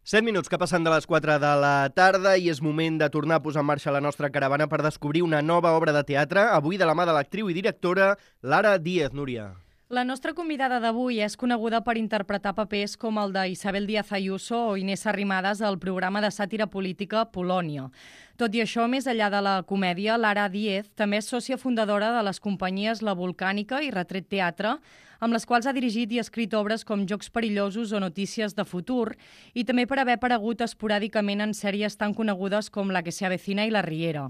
7 minuts que passen de les 4 de la tarda i és moment de tornar a posar en marxa la nostra caravana per descobrir una nova obra de teatre, avui de la mà de l'actriu i directora Lara Díez. Núria. La nostra convidada d'avui és coneguda per interpretar papers com el d'Isabel Díaz Ayuso o Inés Arrimadas al programa de sàtira política Polònia. Tot i això, més enllà de la comèdia, Lara Díez també és sòcia fundadora de les companyies La Volcànica i Retret Teatre, amb les quals ha dirigit i escrit obres com Jocs perillosos o Notícies de futur, i també per haver aparegut esporàdicament en sèries tan conegudes com La que se avecina i La Riera.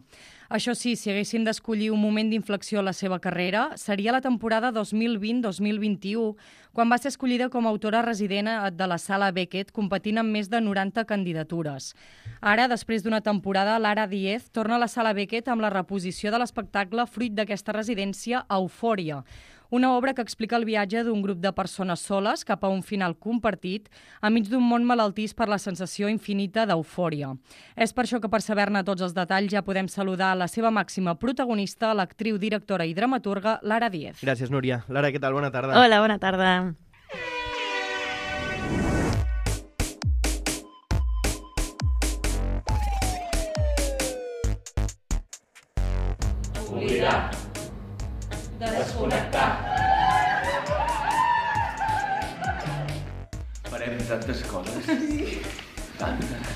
Això sí, si haguéssim d'escollir un moment d'inflexió a la seva carrera, seria la temporada 2020-2021, quan va ser escollida com a autora resident de la Sala Beckett, competint amb més de 90 candidatures. Ara, després d'una temporada, Lara Díez torna a la Sala Beckett amb la reposició de l'espectacle fruit d'aquesta residència, Eufòria, una obra que explica el viatge d'un grup de persones soles cap a un final compartit enmig d'un món malaltís per la sensació infinita d'eufòria. És per això que per saber-ne tots els detalls ja podem saludar la seva màxima protagonista, l'actriu, directora i dramaturga Lara Díez. Gràcies, Núria. Lara, què tal? Bona tarda. Hola, bona tarda. Oblidar. Desconnectar. Farem tantes coses. Tantes.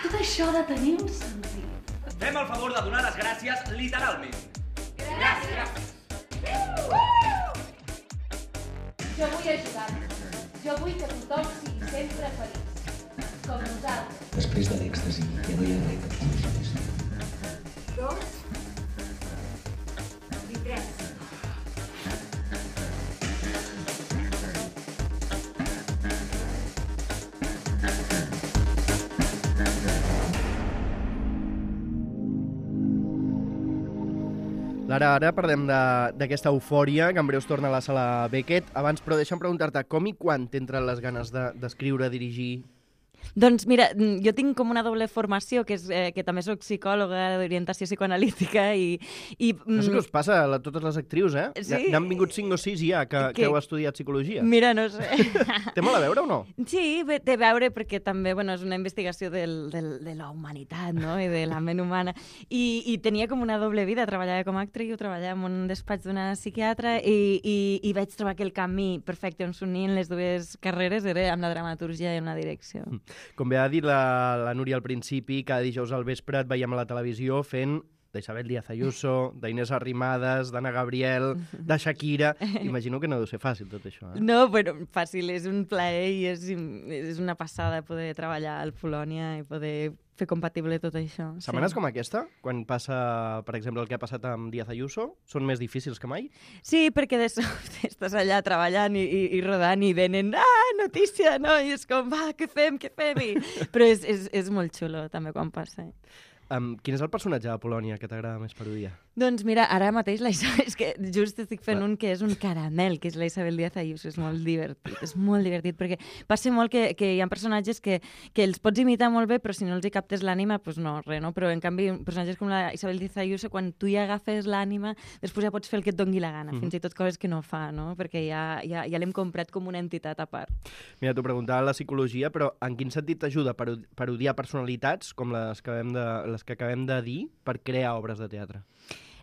Tot això ha de tenir un sentit. Fem el favor de donar les gràcies literalment. Gràcies. Jo vull ajudar-vos. Jo vull que tothom sigui sempre feliç. Com nosaltres. Després de l'èxtasi, ja no hi ha res que funcionés. 2 i 3. Lara, ara parlem d'aquesta eufòria que en breu es torna a la Sala Beckett. Abans, però, deixa'm preguntar-te com i quan t'entren les ganes d'escriure, dirigir? Doncs mira, jo tinc com una doble formació, que és que també soc psicòloga d'orientació psicoanalítica i No sé què us passa a totes les actrius, eh? Sí. N'han vingut 5 o 6 ja que heu estudiat psicologia. Mira, no sé. Té molt a veure o no? Sí, té a veure perquè també és una investigació de la humanitat, no? I de la ment humana. I tenia com una doble vida. Treballava com a actriu, treballava en un despatx d'una psiquiatra i vaig trobar que el camí perfecte on s'unien les dues carreres era amb la dramaturgia i amb la direcció. Com bé ha dit la Núria al principi, cada dijous al vespre et veiem a la televisió fent d'Isabel Díaz Ayuso, d'Inés Arrimadas, d'Anna Gabriel, de Shakira. Imagino que no deu ser fàcil tot això, eh? No, bueno, fàcil, és un plaer i és una passada poder treballar al Polònia i poder fer compatible tot això. Setmanes com aquesta, quan passa, per exemple, el que ha passat amb Díaz Ayuso, són més difícils que mai? Sí, perquè de sobte estàs allà treballant i rodant i venen notícia, no? I és com, va, què fem? Però és molt xulo també quan passa. Quin és el personatge de Polònia que t'agrada més parodiar? Doncs mira, ara mateix és que just estic fent un que és un caramel, que és la Isabel Díaz Ayuso, és molt divertit, perquè passa molt que hi ha personatges que els pots imitar molt bé, però si no els hi captes l'ànima, doncs no, res, no? Però en canvi, personatges com la Isabel Díaz Ayuso, quan tu hi agafes l'ànima, després ja pots fer el que et doni la gana, fins i tot coses que no fa, no? Perquè ja l'hem comprat com una entitat a part. Mira, t'ho preguntava la psicologia, però en quin sentit t'ajuda a parodiar personalitats com les que acabem de dir per crear obres de teatre?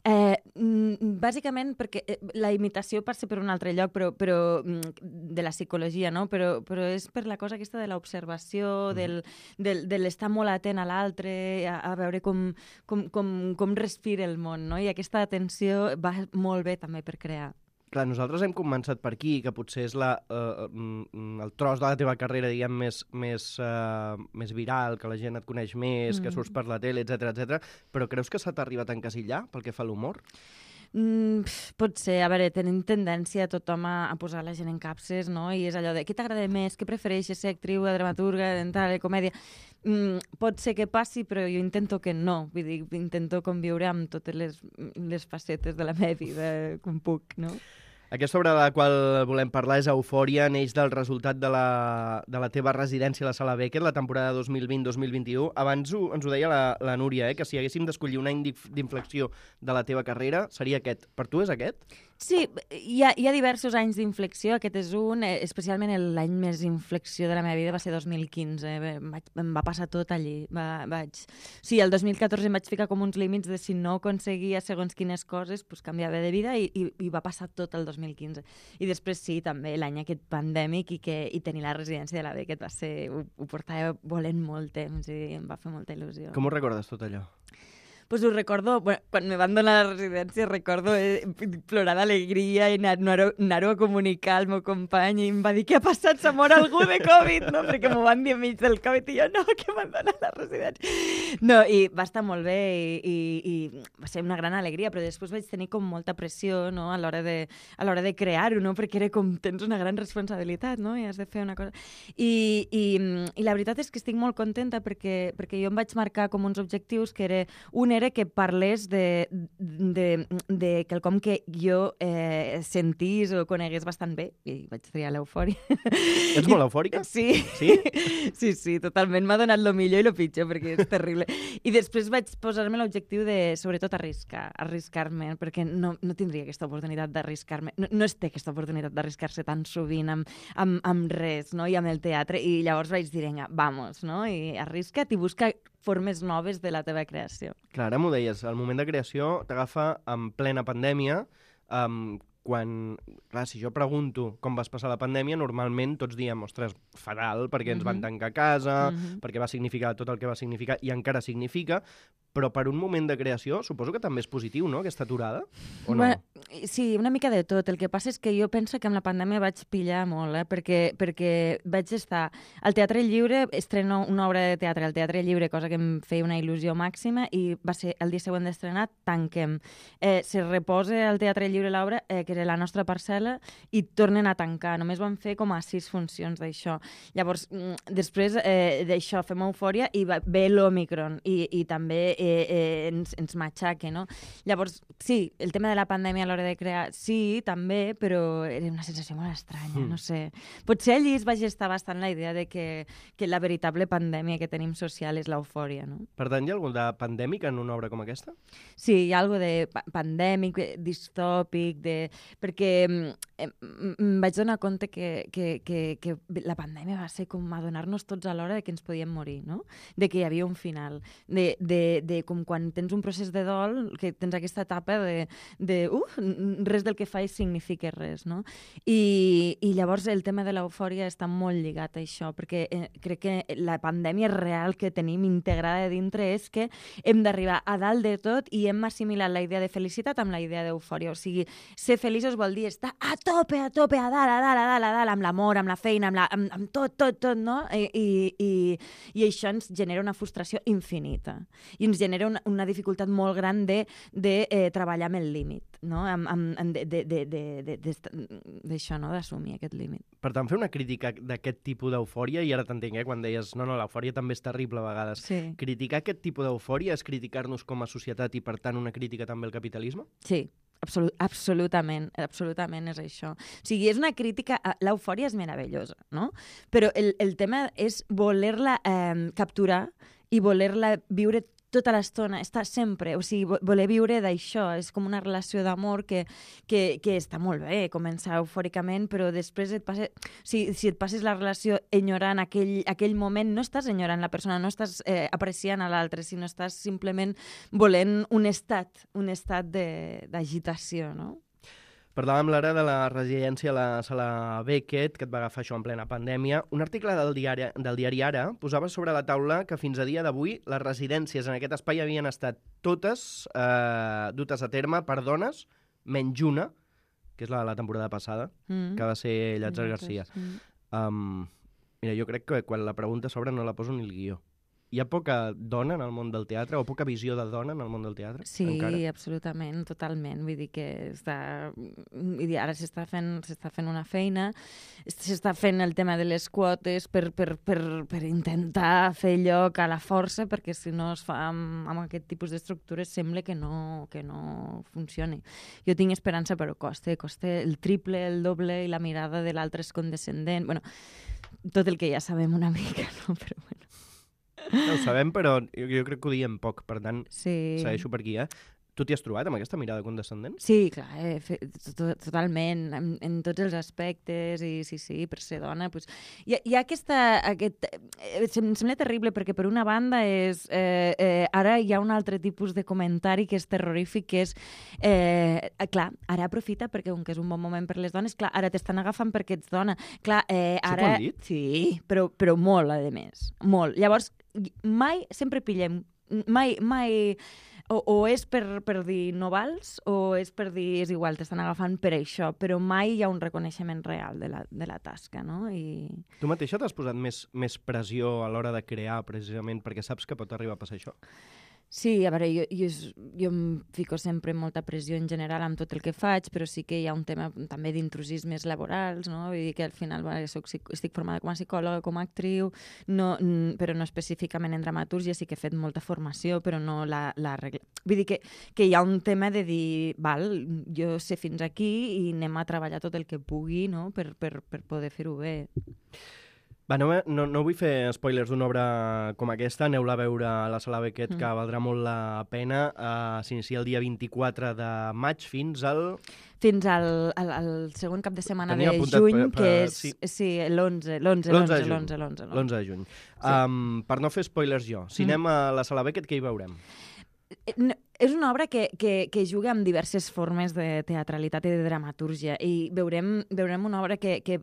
Bàsicament perquè la imitació passa per un altre lloc, però de la psicologia, no? Però és per la cosa aquesta de l'observació, de l'estar molt atent a l'altre, a veure com respira el món, no? I aquesta atenció va molt bé també per crear. Clar, nosaltres hem començat per aquí, que potser és el tros de la teva carrera, diguem, més viral, que la gent et coneix més, que surts per la tele, etc. Però creus que s'ha arribat a encasillar pel que fa a l'humor? Pot ser, a veure, tenim tendència tothom a posar la gent en capses, no? I és allò de, què t'agrada més, què prefereixes, ser actriu, dramaturga, de comèdia? Pot ser que passi, però jo intento que no. Vull dir, intento conviure amb totes les facetes de la meva vida com puc, no? Aquesta obra de la qual volem parlar és Eufòria, neix del resultat de la teva residència a la Sala Beckett, la temporada 2020-2021. Abans ens ho deia la Núria, que si haguéssim d'escollir un any d'inflexió de la teva carrera, seria aquest. Per tu és aquest? Sí, hi ha diversos anys d'inflexió, aquest és un, especialment l'any més inflexió de la meva vida va ser 2015, em va passar tot allí. Sí, el 2014 em vaig ficar com uns límits de si no aconseguia segons quines coses, pues canviava de vida i va passar tot el 2015. I després sí, també l'any aquest pandèmic i tenir la residència de la Beckett va ser, ho portava volent molt temps i em va fer molta il·lusió. Com ho recordes tot allò? Pues ho recordo, bueno, quan me van donar la residència, recordo plorar d'alegria i anar-ho a comunicar al meu company i em va dir què ha passat, s'ha mort algú de Covid, no? Perquè m'ho van dir enmig del Covid i jo, no, que m'han donat la residència. No, i va estar molt bé i va ser una gran alegria, però després vaig tenir com molta pressió, no?, a l'hora de crear-ho, no?, perquè era com, tens una gran responsabilitat, no?, i has de fer una cosa. I la veritat és que estic molt contenta perquè jo em vaig marcar com uns objectius que era que parlés de quelcom que jo sentís o conegués bastant bé, i vaig triar l'eufòria. Ets molt eufòrica? Sí. Sí? Sí, totalment. M'ha donat lo millor i lo pitjor, perquè és terrible. I després vaig posar-me l'objectiu de, sobretot, arriscar-me, perquè no tindria aquesta oportunitat d'arriscar-me. No es té aquesta oportunitat d'arriscar-se tan sovint amb res, no?, i amb el teatre. I llavors vaig dir, vinga, vamos, no?, i arrisca't i busca formes noves de la teva creació. Clar, ara m'ho deies, el moment de creació t'agafa en plena pandèmia, quan, clar, si jo pregunto com vas passar la pandèmia, normalment tots diem, ostres, fatal, perquè ens van tancar a casa, perquè va significar tot el que va significar i encara significa, però per un moment de creació suposo que també és positiu, no?, aquesta aturada, o no? Bueno, sí, una mica de tot. El que passa és que jo penso que amb la pandèmia vaig pillar molt, perquè vaig estar al Teatre Lliure, estreno una obra de teatre al Teatre Lliure, cosa que em feia una il·lusió màxima, i va ser el dia següent d'estrenar, tanquem. Se reposa al Teatre Lliure l'obra, que era La nostra parcel·la, i tornen a tancar. Només van fer com a 6 funcions d'això. Llavors, després d'això fem Eufòria i ve l'Omicron, i també ens matxaca, no? Llavors, sí, el tema de la pandèmia a l'hora de crear, sí, també, però era una sensació molt estranya, no sé. Potser allí es va gestar bastant la idea de que la veritable pandèmia que tenim social és l'eufòria, no? Per tant, hi ha alguna de pandèmic en una obra com aquesta? Sí, hi ha alguna de pandèmic, distòpic, perquè em vaig donar compte que la pandèmia va ser com adonar-nos tots alhora de que ens podíem morir, no? De que hi havia un final, de com quan tens un procés de dol, que tens aquesta etapa res del que faig significa res, no? I llavors el tema de l'eufòria està molt lligat a això, perquè crec que la pandèmia real que tenim integrada de dintre és que hem d'arribar a dalt de tot i hem assimilat la idea de felicitat amb la idea d'eufòria. O sigui, ser feliços vol dir estar a tope, a dalt, amb l'amor, amb la feina, amb tot, no? I això ens genera una frustració infinita. I ens genera una dificultat molt gran de treballar amb el límit, no? D'això, no? D'assumir aquest límit. Per tant, fer una crítica d'aquest tipus d'eufòria, i ara t'entenc, quan deies, no, l'eufòria també és terrible a vegades. Sí. Criticar aquest tipus d'eufòria és criticar-nos com a societat i, per tant, una crítica també al capitalisme? Sí. Absolutament és això. O sigui, és una crítica... L'eufòria és meravellosa, no? Però el tema és voler-la capturar i voler-la viure tota l'estona, estar sempre, o sigui, voler viure d'això, és com una relació d'amor que està molt bé, començar eufòricament, però després si et passes la relació enyorant aquell moment, no estàs enyorant la persona, no estàs apreciant a l'altre, sinó estàs simplement volent un estat d'agitació, no? Parlàvem, Lara, de la residència a la Sala Beckett, que et va agafar això en plena pandèmia. Un article del diari Ara posava sobre la taula que fins a dia d'avui les residències en aquest espai havien estat totes dutes a terme per dones, menys una, que és la de la temporada passada, que va ser Llàtzer Garcia. Mira, jo crec que quan la pregunta s'obre no la poso ni el guió. Hi ha poca dona en el món del teatre, o poca visió de dona en el món del teatre? Sí, encara? Absolutament, totalment. Vull dir que ara s'està fent una feina, s'està fent el tema de les quotes per intentar fer lloc a la força, perquè si no es fa amb aquest tipus d'estructures sembla que no funcioni. Jo tinc esperança, però costa el triple, el doble, i la mirada de l'altre és condescendent. Bueno, tot el que ja sabem una mica, no? Però bueno. No ho sabem, però jo crec que ho diem poc, per tant, sí. Segueixo per aquí, Tu t'hi has trobat amb aquesta mirada condescendent? Sí, clar, totalment, en tots els aspectes, i sí, per ser dona. Pues, hi ha em sembla terrible, perquè per una banda ara hi ha un altre tipus de comentari que és terrorífic, que és, clar, ara aprofita perquè, com que és un bon moment per les dones, clar, ara t'estan agafant perquè ets dona. Clar, ara... Això t'ho han dit? Sí, però molt, a més, molt. Llavors, sempre pillem, mai... O és per dir no vals, o és per dir és igual, t'estan agafant per això, però mai hi ha un reconeixement real de la tasca, no? Tu mateixa t'has posat més pressió a l'hora de crear, precisament, perquè saps que pot arribar a passar això? Sí, a veure, jo em fico sempre molta pressió en general amb tot el que faig, però sí que hi ha un tema també d'intrusismes laborals, no? Vull dir que al final estic formada com a psicòloga, com a actriu, però no específicament en dramatúrgia, sí que he fet molta formació, però no la regla. Vull dir que hi ha un tema de dir, val, jo sé fins aquí i anem a treballar tot el que pugui, no? per poder fer-ho bé. Va, no vull fer spoilers d'una obra com aquesta, aneu-la a veure a la Sala Beckett, que valdrà molt la pena. S'inicia el dia 24 de maig fins al segon cap de setmana de juny, que és l'11 de juny. Per no fer spoilers jo, si anem a la Sala Beckett, què hi veurem? És una obra que juga amb diverses formes de teatralitat i de dramatúrgia, i veurem una obra que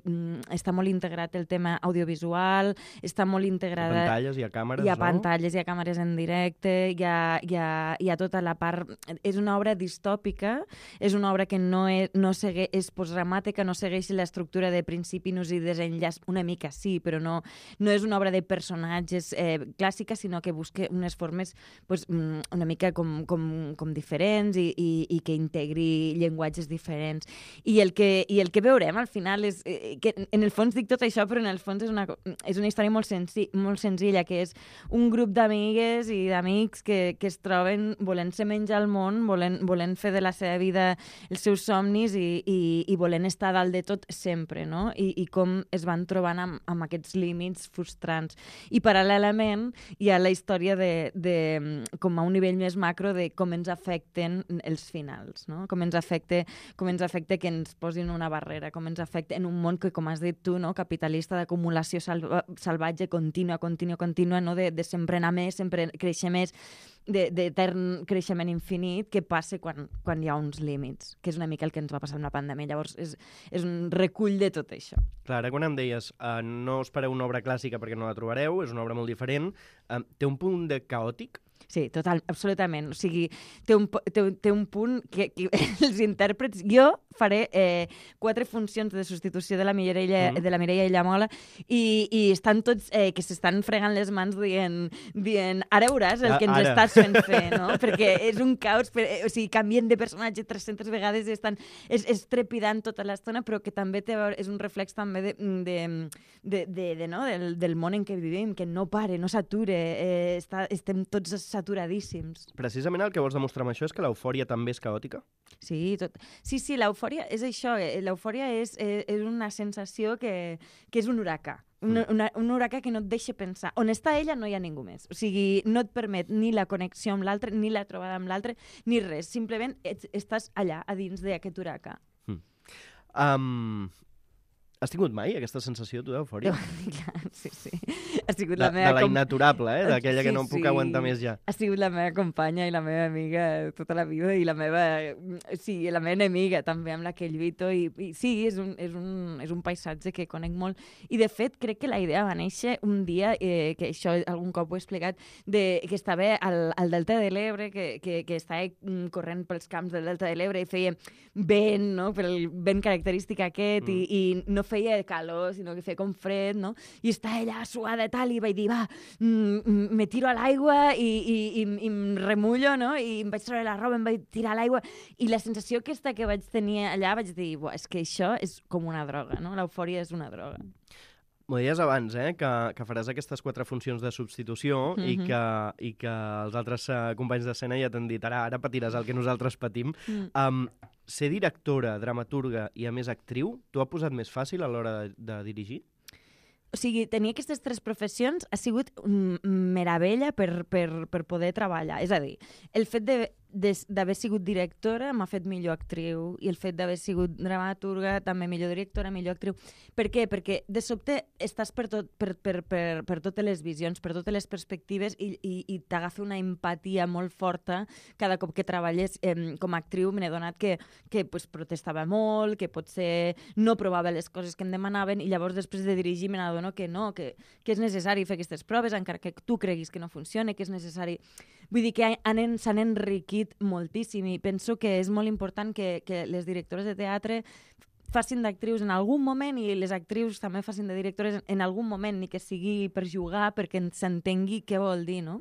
està molt integrat el tema audiovisual, està molt integrada... Hi ha pantalles, hi ha càmeres, Hi ha pantalles, hi ha càmeres en directe, hi ha tota la part... És una obra distòpica, és una obra que és postdramàtica, no segueix l'estructura de principi, nus i desenllaç, una mica sí, però no és una obra de personatges clàssica, sinó que busca unes formes una mica com diferents i que integri llenguatges diferents. I el que veurem al final és que en el fons dic tot això, però en el fons és una història molt senzilla, que és un grup d'amigues i d'amics que es troben volent-se menjar el món, volent fer de la seva vida els seus somnis i volent estar dalt de tot sempre, no? I com es van trobant amb aquests límits frustrants. I paral·lelament hi ha la història de com a un nivell més macro de com ens afecten els finals, no? Com ens afecta que ens posin una barrera, com ens afecta en un món que, com has dit tu, no? Capitalista, d'acumulació salvatge contínua, no? De sempre anar més, sempre créixer més, d'etern creixement infinit, que passa quan hi ha uns límits, que és una mica el que ens va passar amb la pandèmia. Llavors, és un recull de tot això. Clar, ara quan em deies no espereu una obra clàssica perquè no la trobareu, és una obra molt diferent, té un punt de caòtic? Sí, total, absolutament. O sigui, té un punt que els intèrprets... Jo faré 4 funcions de substitució de la Mireia Illamola i estan tots que s'estan fregant les mans dient ara veuràs el que ens estàs fent fer, no? Perquè és un caos, o sigui, canvien de personatge 300 vegades i és trepidant tota l'estona, però que també és un reflex també del món en què vivim, que no pare, no s'ature, estem tots saturadíssims. Precisament el que vols demostrar amb això és que l'eufòria també és caòtica? Sí, l'eufòria és això. L'eufòria és una sensació que és un huracà. Un huracà que no et deixa pensar. On està ella no hi ha ningú més. O sigui, no et permet ni la connexió amb l'altre, ni la trobada amb l'altre, ni res. Simplement estàs allà, a dins d'aquest huracà. Has tingut mai aquesta sensació, tu, d'eufòria? Sí. Ha sigut la meva... De la innaturable, d'aquella que no em puc aguantar més ja. Ha sigut la meva companya i la meva amiga tota la vida i la meva enemiga també, amb la que lluito. I sí, és un paisatge que conec molt. I, de fet, crec que la idea va néixer un dia, que això algun cop ho he explicat, que estava al Delta de l'Ebre, que estava corrent pels camps del Delta de l'Ebre i feia vent, no? Pel vent característic aquest, i no feia calor, sinó que feia com fred, no? I estava allà suada i tal, i vaig dir, va, me tiro a l'aigua i em remullo, no? I em vaig treure la roba, em vaig tirar a l'aigua, i la sensació aquesta que vaig tenir allà, vaig dir, és que això és com una droga, no? L'eufòria és una droga. M'ho deies abans, que faràs aquestes 4 funcions de substitució i que els altres companys d'escena ja t'han dit ara patiràs el que nosaltres patim. Ser directora, dramaturga i, a més, actriu, t'ho ha posat més fàcil a l'hora de dirigir? O sigui, tenir aquestes 3 professions ha sigut meravella per poder treballar. És a dir, el fet d'haver sigut directora m'ha fet millor actriu, i el fet d'haver sigut dramaturga també millor directora, millor actriu. Per què? Perquè de sobte estàs per totes les visions, per totes les perspectives, i t'agafa una empatia molt forta cada cop que treballes com a actriu. Me n'he donat que pues, protestava molt, que potser no provava les coses que em demanaven, i llavors després de dirigir me n'adono que no, que és necessari fer aquestes proves, encara que tu creguis que no funciona, que és necessari... Vull dir que s'han enriquit moltíssim, i penso que és molt important que les directores de teatre facin d'actrius en algun moment, i les actrius també facin de directores en algun moment, ni que sigui per jugar, perquè s'entengui què vol dir, no?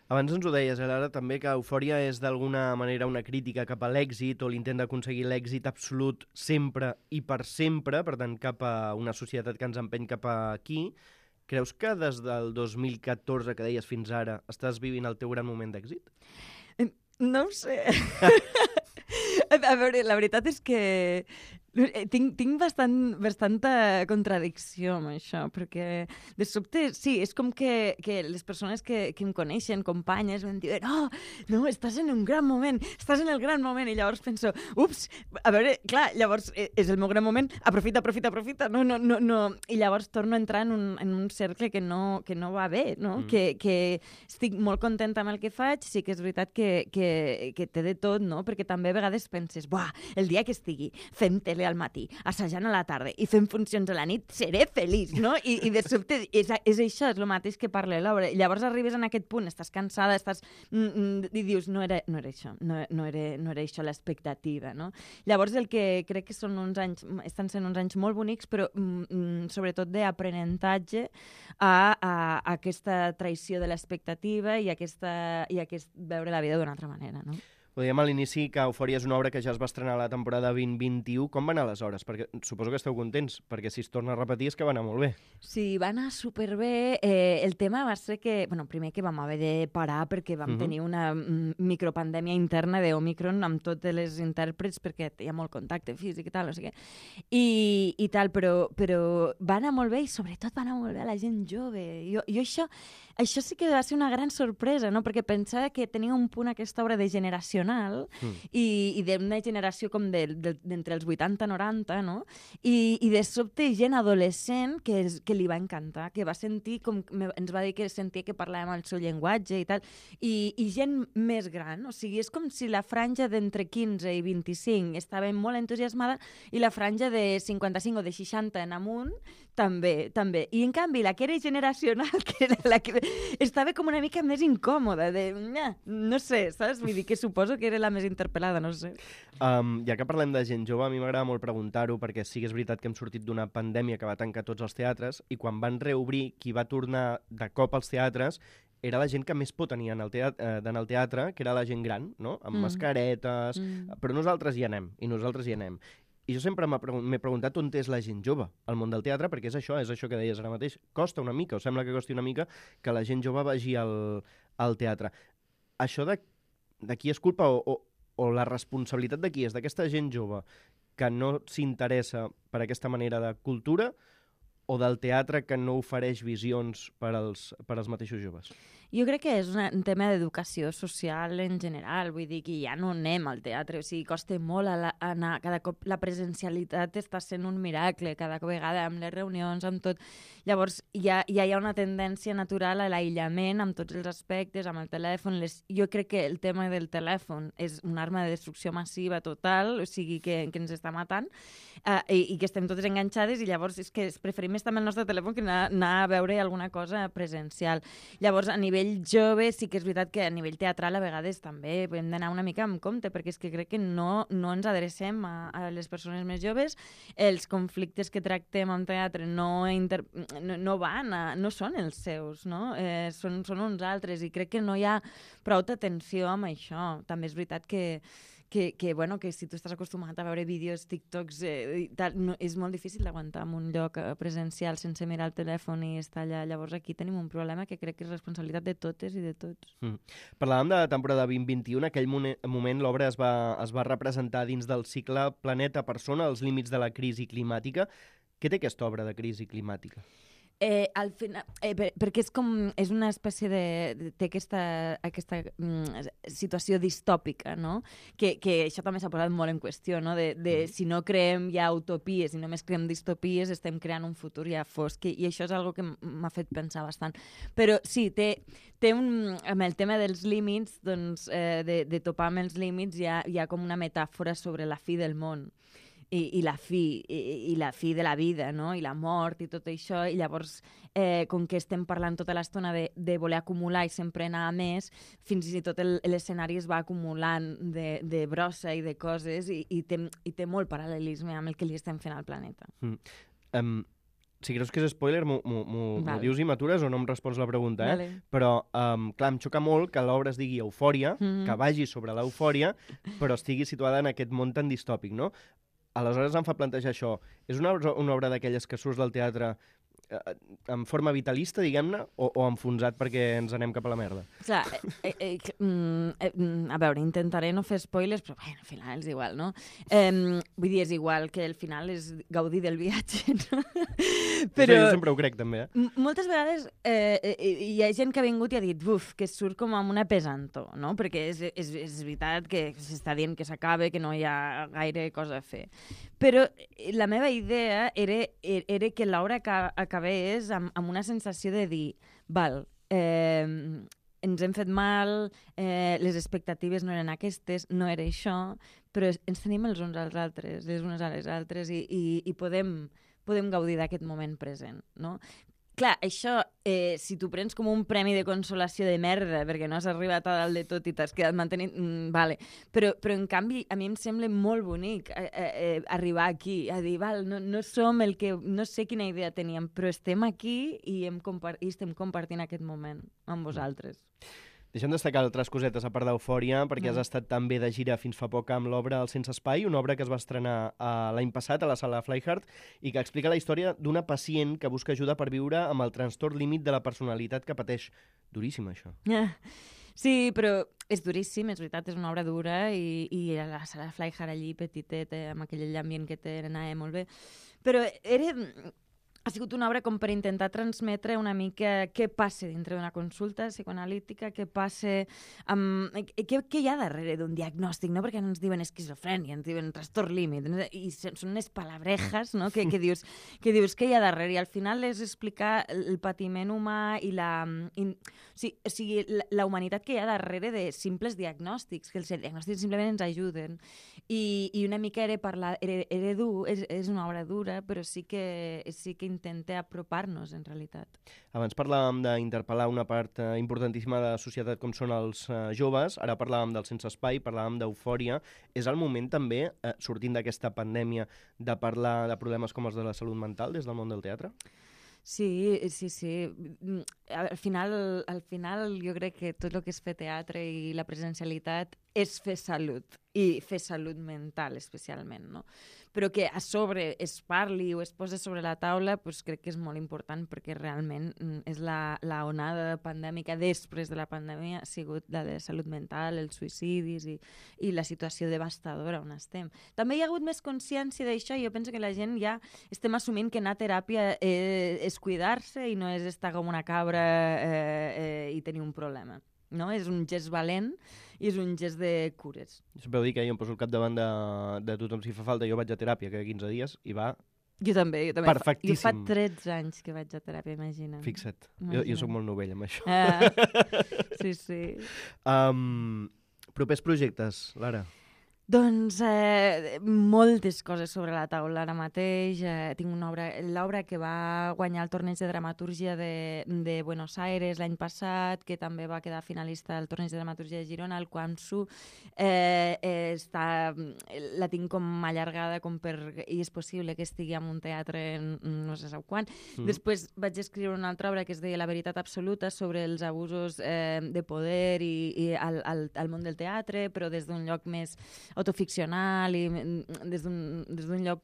Abans ens ho deies, ara també, que Eufòria és d'alguna manera una crítica cap a l'èxit, o l'intent d'aconseguir l'èxit absolut sempre i per sempre, per tant, cap a una societat que ens empeny cap aquí. Creus que des del 2014, que deies, fins ara, estàs vivint el teu gran moment d'èxit? No ho sé. A veure, la veritat és que tinc bastanta contradicció amb això, perquè de sobte, sí, és com que les persones que em coneixen, companyes, em diuen no, estàs en un gran moment, estàs en el gran moment, i llavors penso, ups, a veure, clar, llavors és el meu gran moment, aprofita, no, i llavors torno a entrar en un cercle que no va bé, no? Que estic molt contenta amb el que faig, sí que és veritat que té de tot, no? Perquè també a vegades penses, buah, el dia que estigui fent tele al matí, assajant a la tarda i fent funcions a la nit, seré feliç, no? I de sobte és això, és el mateix que parla l'obra. Llavors arribes en aquest punt, estàs cansada, i dius, no era això, no era això l'expectativa, no? Llavors el que crec que estan sent uns anys molt bonics, però sobretot d'aprenentatge a aquesta traïció de l'expectativa i aquest veure la vida d'una altra manera, no? Ho dèiem a l'inici que Eufòria és una obra que ja es va estrenar a la temporada 2021. Com va anar aleshores? Perquè suposo que esteu contents, perquè si es torna a repetir és que va anar molt bé. Sí, va anar superbé. El tema va ser que, primer que vam haver de parar perquè vam tenir una micropandèmia interna d'Omicron amb totes les intèrprets, perquè hi ha molt contacte físic i tal, no sé què. I tal, però va anar molt bé, i sobretot va anar molt bé a la gent jove. Jo això sí que va ser una gran sorpresa, no? Perquè pensava que tenia un punt aquesta obra de generacional i d'una generació com d'entre els 80 i 90, no? I de sobte gent adolescent que li va encantar, que va sentir, ens va dir que sentia que parlàvem el seu llenguatge i tal, i gent més gran, o sigui, és com si la franja d'entre 15 i 25 estava molt entusiasmada, i la franja de 55 o de 60 en amunt també. I en canvi, la que era generacional, que era la que estava com una mica més incòmoda, no sé, saps? Vull dir que suposo que era la més interpel·lada, no sé. Ja que parlem de gent jove, a mi m'agrada molt preguntar-ho, perquè sí que és veritat que hem sortit d'una pandèmia que va tancar tots els teatres, i quan van reobrir, qui va tornar de cop als teatres era la gent que més por tenia d'anar al teatre, que era la gent gran, no? Amb mascaretes, però nosaltres hi anem. I jo sempre m'he preguntat on és la gent jove al món del teatre, perquè és això que deies ara mateix. Costa una mica, o sembla que costi una mica, que la gent jove vagi al teatre. Això de qui és culpa o la responsabilitat de qui és? D'aquesta gent jove que no s'interessa per aquesta manera de cultura, o del teatre que no ofereix visions per als mateixos joves? Jo crec que és un tema d'educació social en general, vull dir que ja no anem al teatre, o sigui, costa molt anar, cada cop la presencialitat està sent un miracle, cada vegada amb les reunions, amb tot. Llavors ja hi ha una tendència natural a l'aïllament amb tots els aspectes, amb el telèfon. Jo crec que el tema del telèfon és una arma de destrucció massiva total, o sigui, que ens està matant, i que estem totes enganxades, i llavors és que preferim estar amb el nostre telèfon que anar a veure alguna cosa presencial. Llavors, a nivell jove, sí que és veritat que a nivell teatral a vegades també hem d'anar una mica amb compte, perquè és que crec que no ens adrecem a les persones més joves. Els conflictes que tractem en teatre no són els seus, no? Són uns altres, i crec que no hi ha prou atenció amb això. També és veritat que si tu estàs acostumat a veure vídeos, TikToks, és molt difícil d'aguantar en un lloc presencial sense mirar el telèfon i estar allà. Llavors aquí tenim un problema que crec que és responsabilitat de totes i de tots. Parlàvem de la temporada 2021. En aquell moment l'obra es va representar dins del cicle Planeta Persona, els límits de la crisi climàtica. Què té aquesta obra de crisi climàtica? Al final, perquè és una espècie té aquesta situació distòpica, no? Que això també s'ha posat molt en qüestió, no? De si no creem ja utopies i només creem distopies, estem creant un futur ja fosc, i això és algo que m'ha fet pensar bastant. Però sí, amb el tema dels límits, doncs, de topar amb els límits, hi ha com una metàfora sobre la fi del món. I la fi de la vida, no? I la mort i tot això, i llavors com que estem parlant tota l'estona de voler acumular i sempre anar a més, fins i tot l'escenari es va acumulant de brossa i de coses i té molt paral·lelisme amb el que li estem fent al planeta. Si creus que és spoiler, m'ho dius i m'atures o no em respons la pregunta, Vale. Però, clar, em xoca molt que l'obra es digui Eufòria, que vagi sobre l'eufòria, però estigui situada en aquest món tan distòpic, no? Aleshores em fa plantejar això. És una obra d'aquelles que surts del teatre en forma vitalista, diguem-ne, o enfonsat perquè ens anem cap a la merda? Clar, a veure, intentaré no fer spoilers, però bueno, al final és igual, no? Vull dir, és igual que al final és gaudir del viatge, no? Però jo sempre ho crec, també, Moltes vegades hi ha gent que ha vingut i ha dit que surt com amb una pesantor, no? Perquè és veritat que s'està dient que s'acaba, que no hi ha gaire cosa a fer. Però la meva idea era que l'obra acabés amb una sensació de dir, ens hem fet mal, les expectatives no eren aquestes, no era això, però ens tenim els uns als altres, les unes a les altres, i podem gaudir d'aquest moment present, no? Clar, això, si t'ho prens com un premi de consolació de merda, perquè no has arribat a dalt de tot i t'has quedat mantenint, vale. Però en canvi, a mi em sembla molt bonic arribar aquí, a dir, no som el que... No sé quina idea teníem, però estem aquí i estem compartint aquest moment amb vosaltres. Deixem destacar altres cosetes a part d'Eufòria, perquè has estat també de gira fins fa poc amb l'obra El Sense Espai, una obra que es va estrenar l'any passat a la sala Flyhard i que explica la història d'una pacient que busca ajuda per viure amb el trastorn límit de la personalitat que pateix. Duríssim, això. Sí, però és duríssim, és veritat, és una obra dura i a la sala Flyhard allí, petitet, amb aquell ambient que té, anava molt bé. Però ha sigut una obra com per intentar transmetre una mica què passa dintre d'una consulta psicoanalítica, què passa què hi ha darrere d'un diagnòstic, no? Perquè no ens diuen esquizofrènia, ens diuen trastorn límit, i són unes palabrejas, no? que dius què hi ha darrere, i al final és explicar el patiment humà i la humanitat que hi ha darrere de simples diagnòstics, que els diagnòstics simplement ens ajuden, i una mica era dur, és una obra dura, però sí que intenta apropar-nos, en realitat. Abans parlàvem d'interpel·lar una part importantíssima de la societat com són els joves, ara parlàvem del Sense Espai, parlàvem d'Eufòria. És el moment també, sortint d'aquesta pandèmia, de parlar de problemes com els de la salut mental des del món del teatre? Sí. Al final jo crec que tot el que és fer teatre i la presencialitat és fer salut, i fer salut mental especialment, no? Però que a sobre es parli o es posi sobre la taula, doncs crec que és molt important, perquè realment és la onada pandèmica després de la pandèmia ha sigut la de salut mental, els suïcidis i la situació devastadora on estem. També hi ha hagut més consciència d'això, i jo penso que la gent ja estem assumint que anar a teràpia és cuidar-se i no és estar com una cabra i tenir un problema. No? És un gest valent i és un gest de cures. Sempre ho dic, jo em poso al capdavant de tothom si fa falta. Jo vaig a teràpia cada 15 dies i va... Jo també. Perfectíssim. Jo fa 13 anys que vaig a teràpia, imagina't. Fixa't. Jo soc molt novell amb això. Sí. Propers projectes, Lara? Doncs moltes coses sobre la taula ara mateix. Tinc l'obra que va guanyar el torneig de dramatúrgia de Buenos Aires l'any passat, que també va quedar finalista al torneig de dramatúrgia de Girona, el Quansu. La tinc com allargada i és possible que estigui en un teatre no sé quan. Després vaig escriure una altra obra que es deia La veritat absoluta, sobre els abusos de poder i al món del teatre, però des d'un lloc més autoficcional i des d'un lloc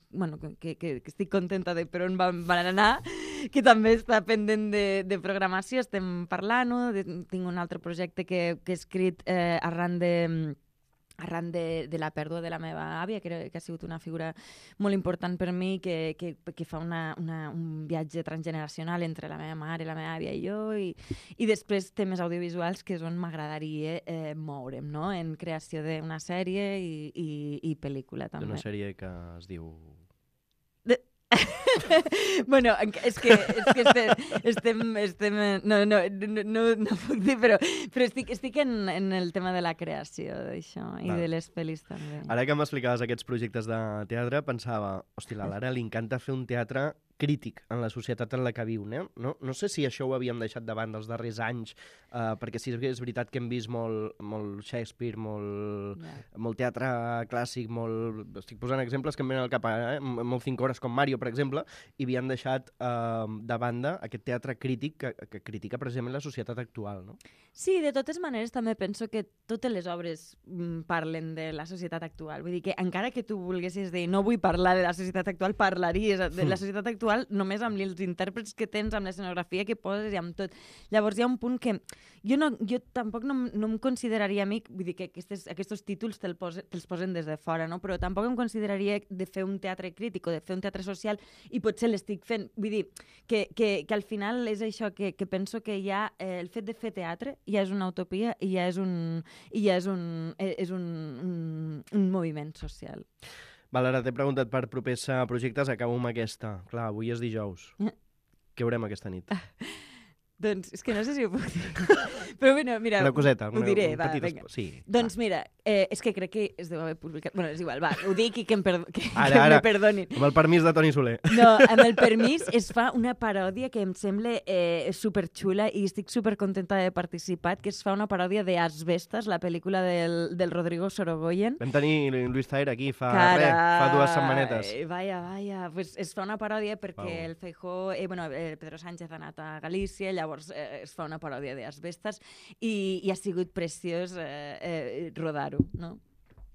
que estic contenta de per on van anar, que també està pendent de programació, estem parlant-ho. Tinc un altre projecte que he escrit arran arran de la pèrdua de la meva àvia, que ha sigut una figura molt important per mi, que fa un viatge transgeneracional entre la meva mare, la meva àvia i jo, i després temes audiovisuals, que és on m'agradaria moure'm, no? En creació d'una sèrie i pel·lícula, també. Una sèrie que es diu... Bueno, és que estem no puc dir, però estic en el tema de la creació d'això i de les pel·lis també. Ara que m'explicaves aquests projectes de teatre, pensava, hòstia, a la Lara li encanta fer un teatre crític en la societat en la que viu, no sé si això ho havíem deixat davant dels darrers anys, perquè sí que és veritat que hem vist molt Shakespeare, molt teatre clàssic, estic posant exemples que em venen al cap, molt 5 hores com Mario, per exemple, i havien deixat de banda aquest teatre crític que critica precisament la societat actual, no? Sí, de totes maneres també penso que totes les obres parlen de la societat actual. Vull dir que encara que tu volguessis dir no vull parlar de la societat actual, parlaries de la societat actual només amb els intèrprets que tens, amb l'escenografia que poses i amb tot. Llavors hi ha un punt que jo tampoc no em consideraria a mi, vull dir que aquests títols te'ls posen des de fora, no? Però tampoc em consideraria de fer un teatre crític o de fer un teatre social i potser l'estic fent. Vull dir que al final és això que penso que ja el fet de fer teatre ja és una utopia i ja és un moviment social. Val, ara t'he preguntat per propers projectes, acabo amb aquesta. Clar, avui és dijous. Què veurem aquesta nit? Doncs és que no sé si ho puc dir. Però bueno, mira, una coseta, ho diré, va, vinga. Sí, doncs mira, és que crec que es deu haver publicat... Bueno, és igual, va, ho dic i que me perdonin. Amb el permís de Toni Soler. No, amb el permís es fa una paròdia que em sembla superxula i estic supercontenta de participar, que es fa una paròdia de Asbestas, la pel·lícula del Rodrigo Sorogoyen. Vam tenir Luis Zaire aquí fa 2 setmanetes. Vaya, pues es fa una paròdia perquè el Feijóo, Pedro Sánchez ha anat a Galícia, llavors es fa una paròdia d'Asbestas i ha sigut preciós rodar-ho, no?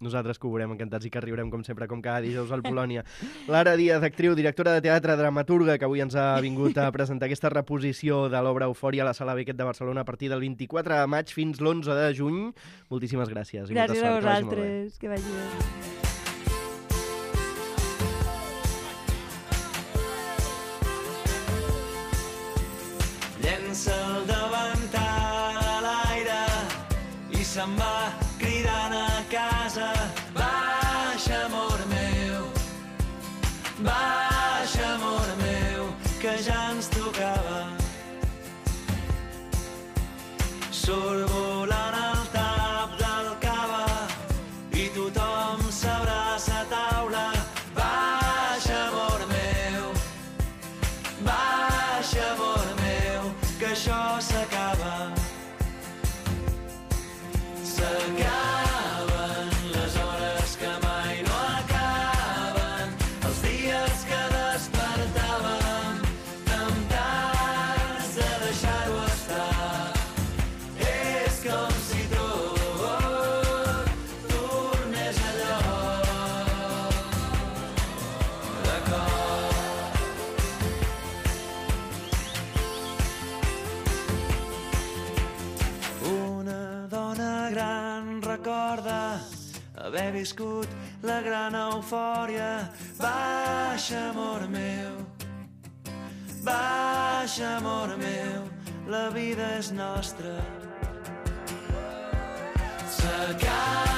Nosaltres que ho veurem encantats i que riurem com sempre, com cada dijous al Polònia. Lara Díaz, actriu, directora de teatre, dramaturga, que avui ens ha vingut a presentar aquesta reposició de l'obra Eufòria a la Sala Beckett de Barcelona a partir del 24 de maig fins l'11 de juny. Moltíssimes gràcies. Gràcies a vosaltres, que vagi bé. Llença el davantal a l'aire i se'n va cridant a casa. Baixa, amor meu, que ja ens tocava. Surt volant el tap del cava i tothom s'abraça a taula. Baixa, amor meu, que això s'acaba. S'acaben les hores que mai no acaben, els dies que despertàvem temptats de deixar-ho estar. És com si tot tornés a lloc de cor. Una dona gran recorda haver viscut la gran eufòria. Baixa, amor meu, la vida és nostra. S'acaba